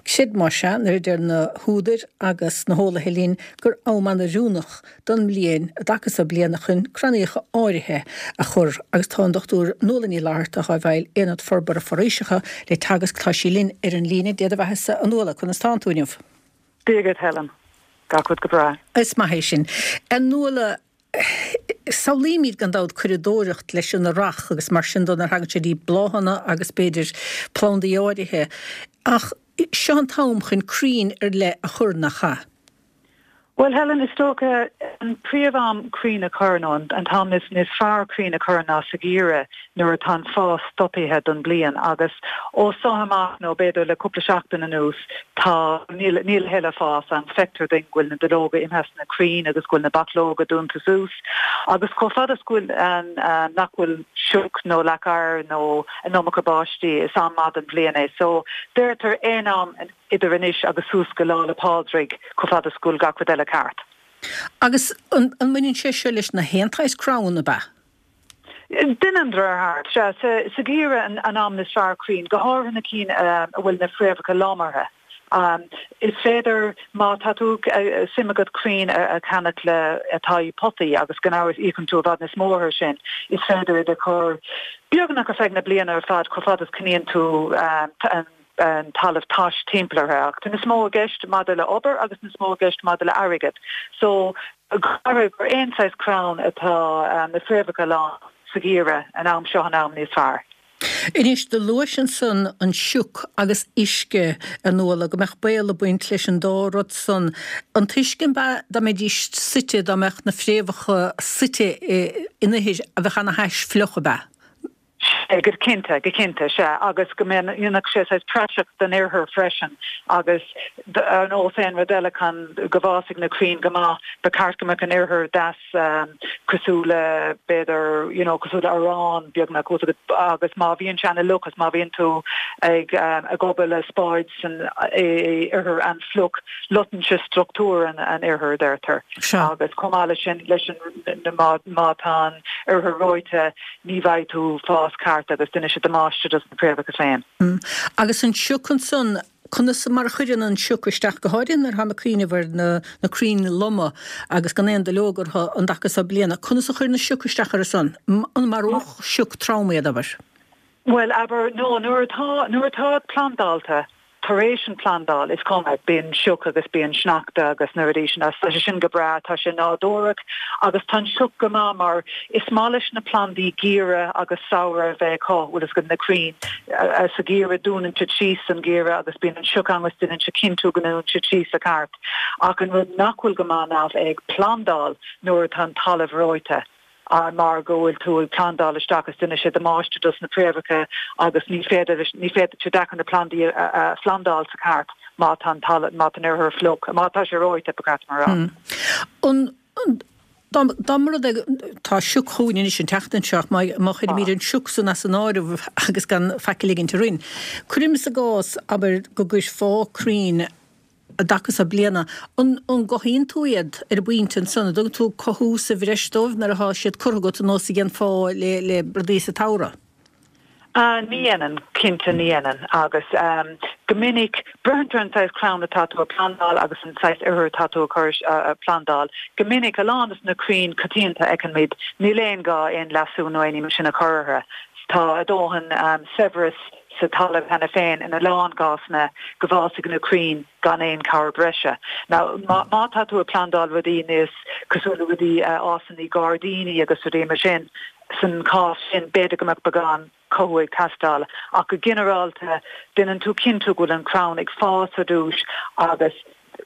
Creid más ea nuair a deir na húdair agus na heolaithe linn gur am an-oiriúnach don mbliain i dtaca so bliana chun crannaíocha áirithe a chur agus tá an Dochtúir Nuala Ní Fhlatharta athá i bhfeighil Aonad Forbartha Foraoiseacha le Teagasc tá sí linn ar an líne. Dé do bheathasa a Nuala, conas tánn tú inniu? Dia dhuit Helen. Gach rud go breá. Is maith é sin. A Nuala, samhlaímid gan dabht curadóireacht leis an earrach agus mar sin de nuair a thagann sé dtí bláthanna agus b'fhéidir plandaí áirithe ach seo an t-am chun crainn ar leith a chur, nach ea? Bhuel Helen, is dócha an príomh-am crainn a chur nó an t-am is is fearr crainn a chur ná sa gheimhreadh nuair atá an fás stoptha don bliain agus ó seo amach nó b'fhéidir le cúpla seachtain anuas tá níl níl a thuilleadh fás ann feictear duinn go bhfuil na duilleoga imithe as na crainn agus go bhfuil na bachlóga dúnta suas agus chomh fada is go bhfuil an nach bhfuil sioc nó leac oighir nó an iomarca báistí is am maith den bhliain é so deirtear aon am idir anois agus suas go Lá 'le Pádraig, chomh fada is go bhfuil gach rud eile ceart. Agus an mbaineann sé seo leis na haon tsaghas crann, ab ea? Baineann, de réir thart, sea. Sa gheimhreadh an am is fearr crainn, go háirithe na cinn a bhfuil na fréamhacha lom orthu. Is féidir má tá tú suim agat crainn a cheannach le atá i potaí agus gan amhras íocann tú i bhfad níos mó air sin, is féidir iad a chur beagnach ar feadh na bliana ar fad chomh fada is coinníonn tú an an talamh tais timpeall orthu. Ach tá níos mó i gceist maidir le obair agus níos mó i gceist maidir le airgead. So gur aon saghas crann atá na fréamhacha lán sa gheimhreadh an am seo an am níos fearr. Anois, do luais ansan an sioc agus uisce, a Nuala, go mbeadh baol ag baint leis an dá rud san. An t-uisce, an ea, dá mbeidís suite, dá mbeadh na fréamhacha suite in ithir a bheadh ana-thais fliuch, ab ea? Sea, go cinnte, go cinnte, sea, agus go ndéanfadh sé saghas praiseach den ithir freisin agus ar nós aon rud eile chun go bhfásfaidh na crainn go maith, ba cheart go mbeadh an ithir deas cosúil le, b'fhéidir, you know, cosúil le arán beagnach, agus má bhíonn sé ana-fhliuch agus má bhíonn tú ag ag obair le spáid san ithir an-fhliuch, loiteann sé struchtúr an an ithir, deirtear. Agus chomh maith leis sin, leis an, má má tá an ithir reoite, ní bhfaighidh tú fás ceart agus déanfaidh sé damáiste dos na préamhacha féin. Agus an sioc ansan, conas mar a chuireann an sioc isteach, go háirithe nuair atáim ag cuimhneamh ar na na crainn loma agus gan aon duilleog orthu an dtaca so bliana, conas a chuireann an sioc isteach orthu san? An maródh sioc trom iad, abair? Bhuel, abair, no, nuair atá, nuair atá plandálta, Tar éis an phlandáil, is cuma, bíonn sioc agus bíonn sneachta agus na rudaí sin, tá sé sin go breá, tá sé nádúrach agus tá an sioc go maith mar is maith leis na plandaí geimhreadh agus samhradh a bheith acu, bhfuil fhios agat, na crainn sa gheimhreadh dúnann siad síos san gheimhreadh agus bíonn an sioc ann agus déanann sé cinntiú go ndúnann siad síos sa ceart. Ach an rud nach bhfuil go maith ná bheith ag plandáil nuair atá an talamh reoite. mar go bhfuil tú ag plandáil isteach agus déanfaidh sé damáiste dos na préamhacha agus ní féidir ní féidir sé deacair na plandaí a phlandáil sa ceart má tá an talamh má tá an ithir fliuch má tá sé reoite ba cheart dom a rá. An dá dá mba rud é tá sioc chugainn anois an tseachtain seo ach má má chuirimid an sioc san as an áireamh agus gan faic a ligint orainn. Cuirimis i gcás abair go gcuirfeá crainn i dtaca so bliana. An gcothaíonn tú iad ar an bpointe ansan? An dtugann tú cothú sa bhreis dóibh nuair atá siad curtha agat ar nós a dhéanfá le le rudaí sa tsamhradh? Ní dhéanann, cinnte ní dhéanann. Agus go minic, braitheann ar an saghas crann atá tú a phlandáil agus an saghas ithir atá tú a chur a phlandáil. Go minic, a lán de na crainn coitianta a fheicimid, níl aon gá aon leasú nó aon ní mar sin a chur orthu. Tá a dóthain saibhreas sa talamh cheana féin in a lán cásanna go bhfásfaidh na crainn gan aon chabhair breise. Now, má má tá tú ag plandáil rudaí níos cosúil le rudaí a fhásann i gairdíní agus rudaí mar sin, san chás sin b'fhéidir go mbeadh beagán cothú ag teastáil. Ach go ginearálta, déanann tú cinntiú go bhfuil an crann ag fás ar dtús agus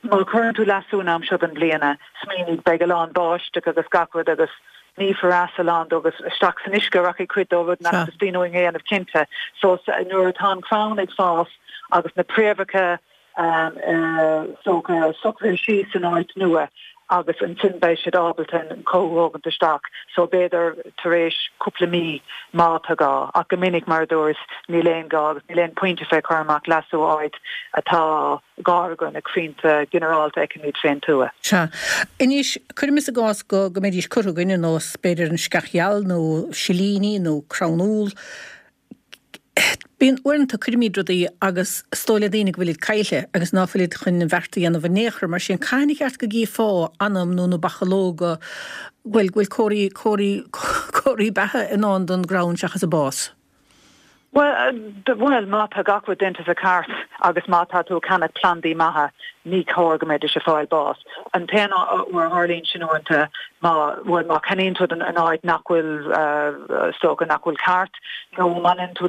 má chuireann tú leasú an am seo den bhliana, smaoinigh, beidh a lán báisteach agus gach rud agus nífear as a lán dó agus isteach san uisce a rachaidh cuid dó, rud nach dteastaíonn uainn a dhéanamh cinnte. So nuair atá an crann ag fás agus na préamhacha socraithe síos san áit nua agus ansin beidh siad ábalta an cothú a thógaint isteach. So b'fhéidir tar éis cúpla mí má tá gá, ach go minic mar a dúras níl aon gá agus níl aon pointe fé cur amach leasú áit atá gá do na crainnte ginearálta a fheicimid fén tuath. Sea. Anois, cuirimis i gcás go go mbeidís curtha againn ar nós, b'fhéidir, an sceach gheal nó silíní nó crann úll. Bíonn, uaireanta, cuirimid rudaí agus is dóigh le daoine go bhfuilid caillte agus ná fuilid chun an bheart a dhéanamh in aon chor. Mar sin, cathain a cheart go gcífeá anam nó na bachalóga, bhuel, go bhfuil comharthaí, comharthaí, comharthaí beatha i ndán don gcrann seachas an bás? Bhuel, má tá gach rud déanta sa cheart agus má tá tú ag ceannach plandaí maithe, ní chóir go mbeidís ag fáil bás. An t-aon uair a tharlaíonn sin uaireanta, má, bhuel, má cheannaíonn tú in áit nach bhfuil, is dócha, nach bhfuil ceart, nó má dhéanann tú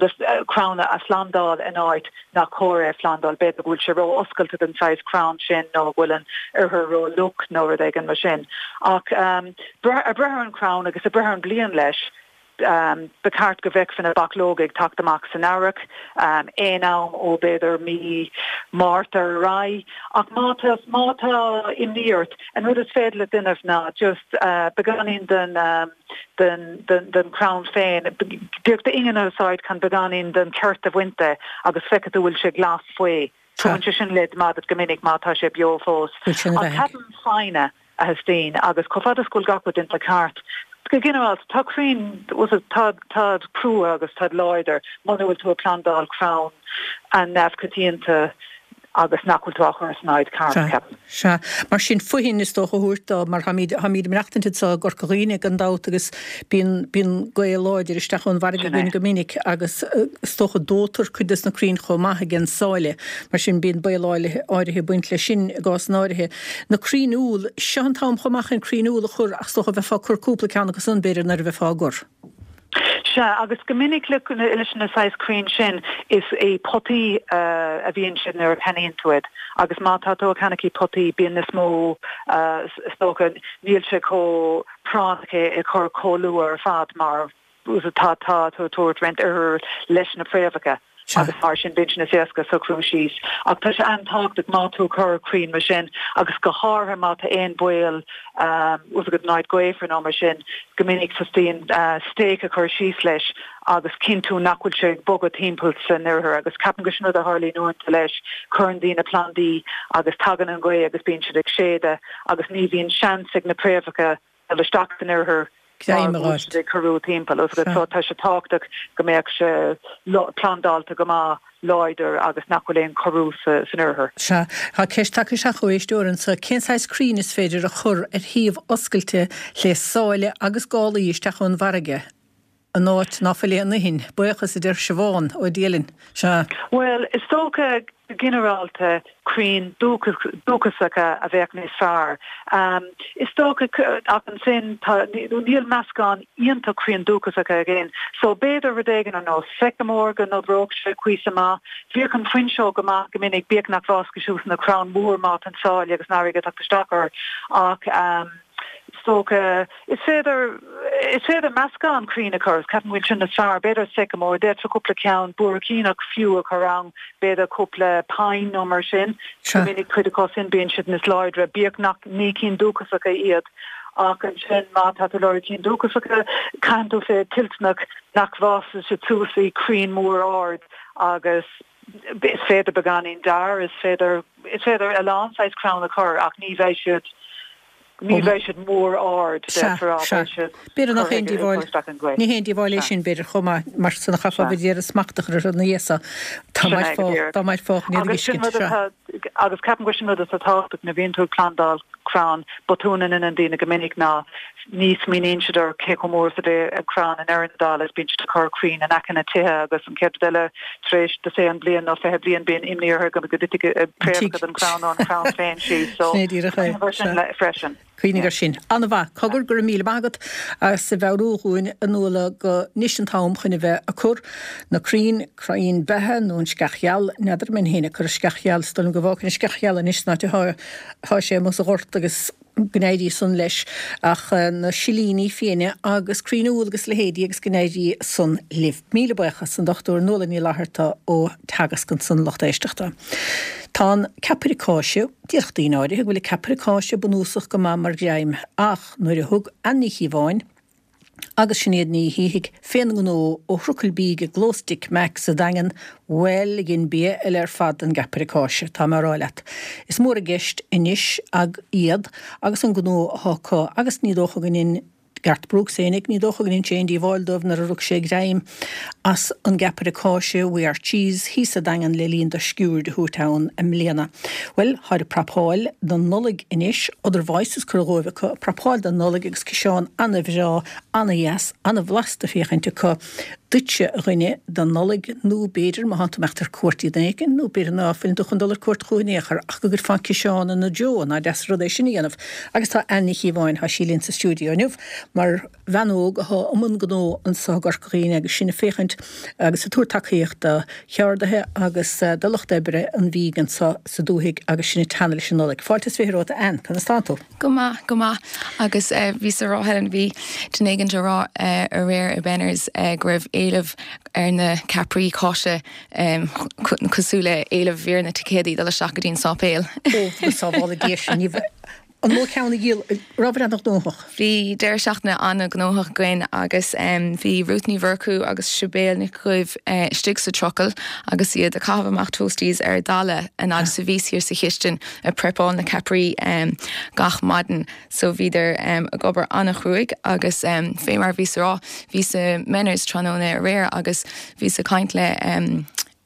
crann a phlandáil in áit nach cóir é a phlandáil, b'fhéidir go bhfuil sé ró-oscailte don saghas crann sin nó go bhfuil an ithir ró-fhliuch nó rud éigin mar sin. Ach ag brath ar an chrann agus ag brath ar an bliain leis, Ba cheart go bhfeicfeá na bachlóga ag teacht amach san earrach, aon am ó b'fhéidir mí Márta ar aghaidh. Ach má tá, má tá imní ort, an rud is féidir leat déanamh ná just beagáinín den, den, den, den chrann féin, díreach d'ingear a úsáid chun beagáinín den cheirt a bhaint de agus feicfidh tú bhfuil sé glas faoi. Tugann sé sin leid maith duit go minic má tá sé beo fós. Ach ceapaim foighne. a theastaíonn agus chomh fada is go bhfuil gach rud déanta ceart, go ginearálta, tá crainn, tá, táid crua agus táid láidir, muna bhfuil tú ag plandáil crann an-neamhchoitianta agus nach bhfuil tú á chur san áit ceart, ceapaim. Sea. Mar sin fothain is dócha a thabhairt dó, mar táimid, táimid ag maireachtaint anseo i gCorca Dhuibhne gan dabht agus bíonn, bíonn gaoth láidir isteach ón bhfarraige againn go minic agus is dócha dóitear cuid des na crainn chomh maith ag an sáile. Mar sin bíonn baol áirithe ag baint leis sin i gcásanna áirithe. Na crainn úll, seo an t-am chomh maith chun crainn úll a chur ach is dócha bheifeá ag cur cúpla ceann acu san b'fhéidir nuair a bheifeá á gcur. Sea, agus go minic leis na saghas crainn sin, is i potaí a bhíonn siad nuair a cheannaíonn tú iad. Agus má tá tú ag ceannach i potaí, bíonn níos mó, is dócha, níl sé chomh práinneach é a chur chomh luath ar fad mar tá tá tú ag tabhairt roinnt ithreach leis na fréamhacha. Agus mar sin bíonn sé níos éasca socrú síos. Ach tá sé an-tábhachtach má tú ag cur crainn mar sin, agus go háirithe má tá aon baol bhfuil fhios agat in áit gaofar nó mar sin, go minic teastaíonn stake a chur síos leis agus cinntiú nach bhfuil sé ag bogadh timpeall san ithir. Agus ceapaim go sin rud a tharlaíonn uaireanta leis, cuireann daoine plandaí agus tagann an ghaoth agus bíonn siad ag séideadh agus ní bhíonn seans ag na préamhacha dul isteach san ithir Greim a fháilt. ag corrú timpeall. So tá sé tábhachtach go mbeadh sé plandálta go maith láidir agus nach bhfuil aon chorrú san ithir. Sea. Tá ceist tagtha isteach ó éisteoir anseo, cén saghas crainn is féidir a chur ar thaobh oscailte le sáile agus gálaí isteach ón bhfarraige in áit ná fuil aon fhoithin? Buíochas, a deir Siobhán ó Dialann. Sea. Bhuel, is dócha go ginearálta crainn dúchasacha a bheadh níos fearr. Is dócha, ach ansin tá, níl meascán iontach crainn dúchasacha againn, so b'fhéidir rud éigin ar nós sycamore go n-oibreodh sé cuíosach maith. Bhíodh an fuinseog go maith go minic, bíodh nach bhfásfaidh suas ina crann mór má tá an sáile agus an fharraige ag teacht isteach air, ach is dócha, is féidir, is féidir meascán crainn a chur, ceapaim go bhfuil sin níos fearr, b'fhéidir sycamore, d'fhéadfá cúpla ceann buaircíneach fiú a chur ann, b'fhéidir cúpla pine nó mar sin, go minic cuid acu sin bíonn siad níos láidre, bíodh nach ní cinn dúchasacha iad. Ach ansin má tá tú ag lorg cinn dúchasacha, caithfidh tú bheith toilteanach nach bhfásfaidh siad suas i crainn mór ard agus is féidir beagáinín dair, is féidir, is féidir a lán saghas crann a chur ach ní bheidh siad, ní bheidh siad mór ard, Sea, deirtear, sea. beidh siad B'fhéidir nach curtha aon ag díobháil, cur isteach an ghaoth. ní haon díobháil é Sea. sin, b'fhéidir, chomh maith, mar san a chaithfeá Sea. bheith ag iarraidh smacht a chur orthu ina dhiaidh so. Dá Sin é go mairfeá, díreach. dá mairfeá chun iad a Agus sin fheiscint, rud sea. atá, agus ceapaim gur sin rud atá tábhachtach nuair a bhíonn tú ag plandáil crann, botún a ndéanann daoine go minic ná ní smaoiníonn siad ar cé chomh mór is a bheidh an crann i ndeireadh na dála is bíonn siad ag cur crainn in aice na tithe agus an chéad rud eile tar éis dosaen bliain nó fiche bliain bíonn imní orthu go dtitfidh préamhacha den chrann nó an crann féin síos so Sin é díreach é. cuimhnigh ar sin Sea. freisin. Cuimhnigh air sin. An-mhaith. Cogar, go raibh míle maith agat as a mheabhrú dhúinn a Nuala go anois an t-am chun a bheith ag cur na crainn, crainn beatha nó an sceach gheal, n'fheadar an mbeinn féin ag cur an sceach gheal, is dóigh liom go bhfágfainn an sceach gheal anois san áit atá sé amuigh sa ghort agus go n-éirí san leis ach na silíní fiaine agus crainn úll agus leithéidí agus go n-éirí san libh. Míle buíochas, an Dochtúir Nuala Ní Fhlatharta ó Teagasc ansan lucht éisteachta. Tá an ceapaire cáise, déarfadh daoine áirithe go bhfuil an ceapaire cáise bunúsach go maith mar ghreim ach nuair a thug Ann Ní Chíobháin, Agus Sinéad Ní Shíthigh fén ngnó ó thrucail bídh i gclós Dick Mack sa Daingean, bhuel, dhein bia eile ar fad den gceapaire cáise, tá mé a rá leat. Is mór i gceist anois ag iad agus an gnó athá acu agus ní dócha go ndein Garth Brooks fhéinig, ní dócha go ndein sé aon díobháil dóibh nuair a rug sé greim as an gceapaire cáise We Are Cheese thíos sa Daingean le linn do sciuird a thabhairt ann i mbliana. Bhuel, tháid ag prapáil don Nollaig anois, Other Voices curtha dhóibh acu, prapáil don Nollaig agus ciseán ana-bhreá, ana-dheas, ana-bhlasta féachaint acu duitse, a dhuine, don Nollaig nó b'fhéidir má thánn tú ag imeacht ar cuairt chuig duine éicint nó b'fhéidir ná fuileann tú chun dul ar cuairt chucu in aon chor ach go gcuirfeá an ciseán ina dtreo, nach deas an rud é sin a dhéanamh. Agus tá Ann Ní Chíobháin, tá sí linn sa stiúideo inniu mar bhean óg athá i mbun gnó anso i gCorca Dhuibhne agus sinn ag féachaint agus ag tabhairt tacaíocht do cheardaithe agus do lucht oibre an bhídh anso sa dúthaigh agus sinn ag teannadh leis an Nollaig. Fáilte is fiche romhat a Ann, conas tánn tú? Go maith, go maith. Agus bhíos a rá Helen, bhí duine éigint a rá aréir i Benners go raibh éileamh ar na ceapairí cáise cosúil le éileamh ar na ticéadaí dul isteach go dtí an sáipéal. Ó, go sábhála Dia sinn. An mó ceann a dhíol, rabhabhair an-ghnóthach? Bhí deireadh seachtaine an-ghnóthach againn agus bhí Ruth Ní Mhurchú agus Sibéal Nic Dhuibh istigh sa trucail agus iad ag caitheamh amach toasties ar dalladh an fhad is a bhíos thiar sa chistin ag prepáil na ceapairí gach maidin. So bhíodar ag obair an-chruaidh agus fé mar a bhíos a rá, bhíos i Menners tráthnóna aréir agus bhíos ag caint le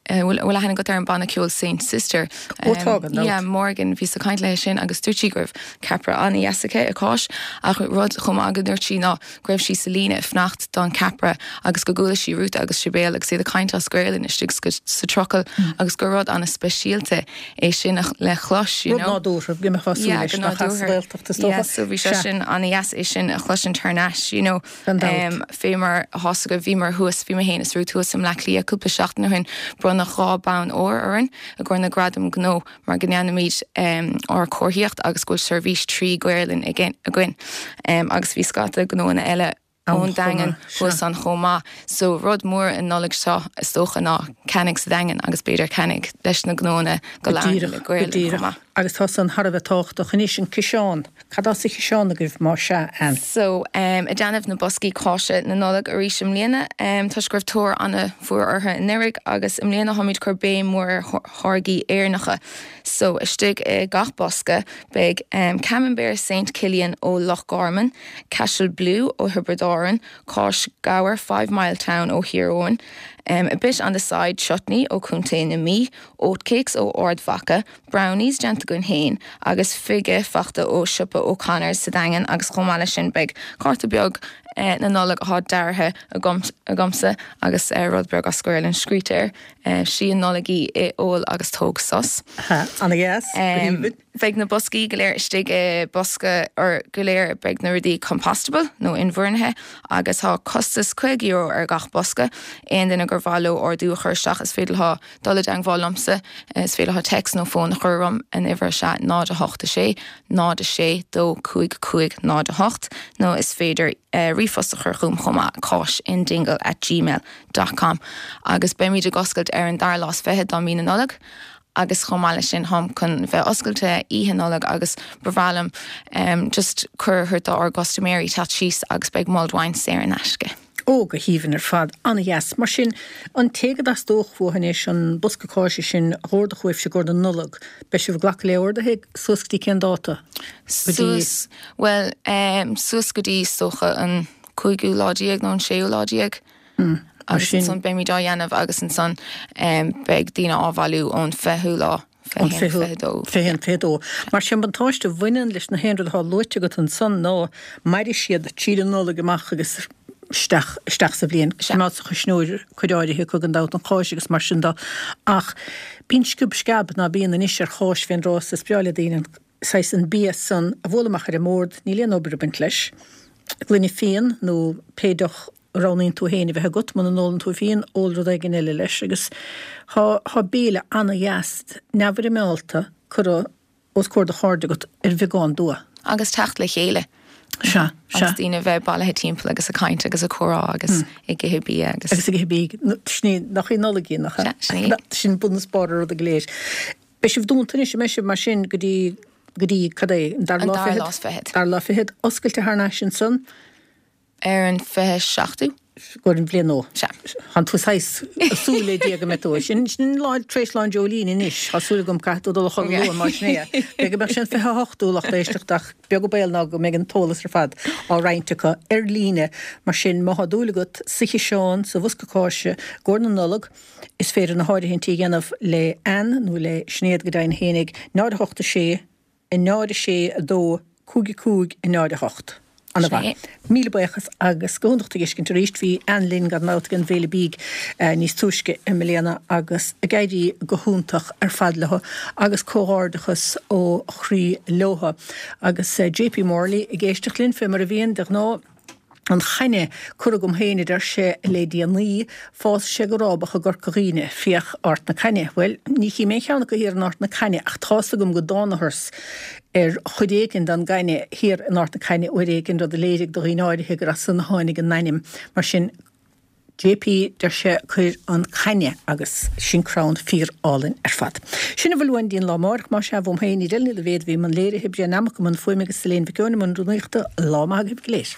bhfuil aithne agat ar an banna ceoil Saint Sister. Ó tá, gan dabht. Yeah, Morgan bhíos ag caint léi sin agus dúirt sí go raibh ceapaire an-dheas aici i cáis ach rud chomh maith go ndúirt sí ná go raibh sí sa líne ag fanacht don ceapaire agus go gcuala sí Ruth agus Sibéal agus iad ag caint as Gaelainn istigh sa trucail agus gur rud an-speisialta é sin le clos you Rud know. nádúrtha go mbeifeá súil Yeah, leis go nach as nádúrtha. Gaeltacht is dócha. Yeah, so bhí sé Sea. sin an-dheas é sin a chloisint thar n-ais, you know. Gan dabht. Um, fé mar atá go bhíomar thuas bhí mé féin is Ruth thuas i mBleá Cliath cúpla seachtain ó shin bronnadh dhá bonn óir orainn i gcomhair na gradam gnó mar go ndéanaimid um, ár comharthaíocht agus go bhfuil seirbhís trí Ghaelainn againn. Um, agus bhí scata gnóanna eile ón Daingean thuas ann chomh maith. So rud mór an Nollaig seo is dócha ná ceannaigh sa Daingean agus b'fhéidir ceannaigh leis na gnóanna go labhrann le Gaelainn chomh maith. Agus tá san thar a bheith tábhachtach anois an ciseán. Cad as sa chiseán agaibh má sea Ann? So um, ag déanamh na boscaí cáise na Nollag arís i mbliana, um, toisc go raibh tóir an-mhór orthu anuraidh agus i mbliana táimid cur béim mór ar tháirgí Éireannacha. So istigh i gach bosca beidh um, Camembert Saint Killian ó Loch Garman, Cashel Blue ó Thiobraid Árann, Cáis Gabhar Five Mile Town ó Thír Eoghain, um, a bit on the side chutney ó Chontae na Mí, oatcakes ó Ard Mhacha, brownies déanta againn féin agus fige fachta ó siopa O'Connor's sa Daingean agus chomh maith leis sin beidh cárta beag eh, na Nollag atá deartha agam agamsa agus uh, rud beag as Gaelainn scríte air uh, sí an Nollaig í ith ól agus tóg sos. An-dheas Um, beidh na boscaí go léir istigh i bosca or go léir beidh na rudaí compostable nó inbhuanaithe agus tá costas cúig euro ar gach bosca aon duine gur mhaith leo ordú a chur isteach is féidir leo dul i dteagmháil liomsa is féidir leo text nó fón a chur orm an uimhir sé náid a hocht a sé náid a sé dó cúig cúig náid a hocht nó is féidir uh, ríomhphost a chur chugam chomh maith cáis in dingle at gmail dot com agus beimid ag oscailt ar an dara lá is fiche de mhí na Nollag. agus chomh maith leis sin táim chun bheith oscailte oíche Nollag agus ba bhreá liom um, just cuireadh ár gcustaiméirí teacht síos agus beidh mulled wine saor in aisce. Ó go haoibhinn ar fad an-dheas, mar sin an té go dteastódh uathu anois an bosca cáise sin a dh'ordódh uaibhse i gcomhair na Nollag, beidh sibh ag glacadh le orduithe suas go dtí cén dáta? Suas, well, um, suas go dtí is dócha an cúigiú lá déag nó an séú lá déag. Mm. Agus ansan beimid á dhéanamh agus ansan um, beidh daoine á bhailiú ón fichiú lá fiche dó. Fiche fiche dó. Mar sin buntáiste a bhaineann leis na haon rud atá luaite agat ansan ná mairfidh siad tríd an Nollaig amach agus isteach isteach sa bhliain. Má sa chuisneoir cuid áirithe acu gan dabht an cháis agus mar sin de. Ach bíonn sciob sceab ná bíonn anois ar cháis fén dtráth is breá le daoine an saghas an bia san a bhualadh amach ar an mbord, níl aon obair ag baint leis. Gloine fíon nó pé deoch a roghnaíonn tú féin a bheith agat, muna n-ólann tú fíon, ól rud éigin eile leis agus thá thá béile ana-dheas neamhfhoirmeálta curtha os comhair do chairde agat ar bheagán dua. Agus teacht le chéile. Sea, sea. Agus daoine bheith bailithe timpeall agus ag caint agus ag comhrá agus ag ithe bia agus. Agus ag ithe bia. Sin í, nach í Nollaig í, nach ea? Sea, sin í. Sin bun is barr an ruda go léir. Beidh sibh dúnta anois, an mbeidh sibh mar sin go dtí, go dtí cad é, an dara An lá dara fichead? lá is fichead. Dara lá fichead, oscailte thar n-ais ansan. Ar an fiche seachtú. Go an bhliain nua. Sea. Tánn tú saghas súil le Dia go mbeidh tú. Sin sin lá tar éis Lá an Dreoilín anois. Tá súil agam caithfidh tú dul a chodladh luath mar sin é. B'fhéidir go mbeadh sé an fiche hochtú lucht éisteachta ach beag an baol ná go mbeidh an t-eolas ar fad á roinnt acu ar líne. Mar sin má tá dúil agat sa chiseán, sa bhosca cáise, i gcomhair na Nollag, is féidir na háirithintí a dhéanamh le Ann nó le Sinéad go deimhin fhéinig, náid a hocht a sé, a náid a sé a dó, cúig a cúig, a náid a hocht. Ana-mhaith. Míle buíochas agus go hiontach tú a fheiscint arís. Bhí Ann linn gan dabht ag an bhFéile Bídh níos túisce i mbliana agus ag éirí go hiontach ar fad leo agus comhghairdeachas ó chroí leo. Agus J P Morley ag éisteacht linn fé mar a bhíonn de ghnáth. An chaine curtha agam féin, a deir sé, le déanaí, fásfaidh sé go rábach i gCorca Dhuibhne, féach Ard na Caithne. Bhuel, ní chím aon cheann acu thiar in Ard na Caithne ach tá's agam go dtánathas ar chuid éigin den gcaithne thiar in Ard na Caithne uair éigin, rud a léirigh do dhaoine áirithe gur as san a tháinig an t-ainm. Mar sin, J P, deir sé, cuir an caithne agus sin crann fíor álainn ar fad. Sin a bhfuil uainn go dtí an lá amárach, más ea, uaim féin, Edel Ní Loibhéad a bhí i mbun léirithe, Brian Nammock i mbun fuaime agus Elaine Mhic Eoin i mbun rúnaíochta. Lá maith agaibh go léir.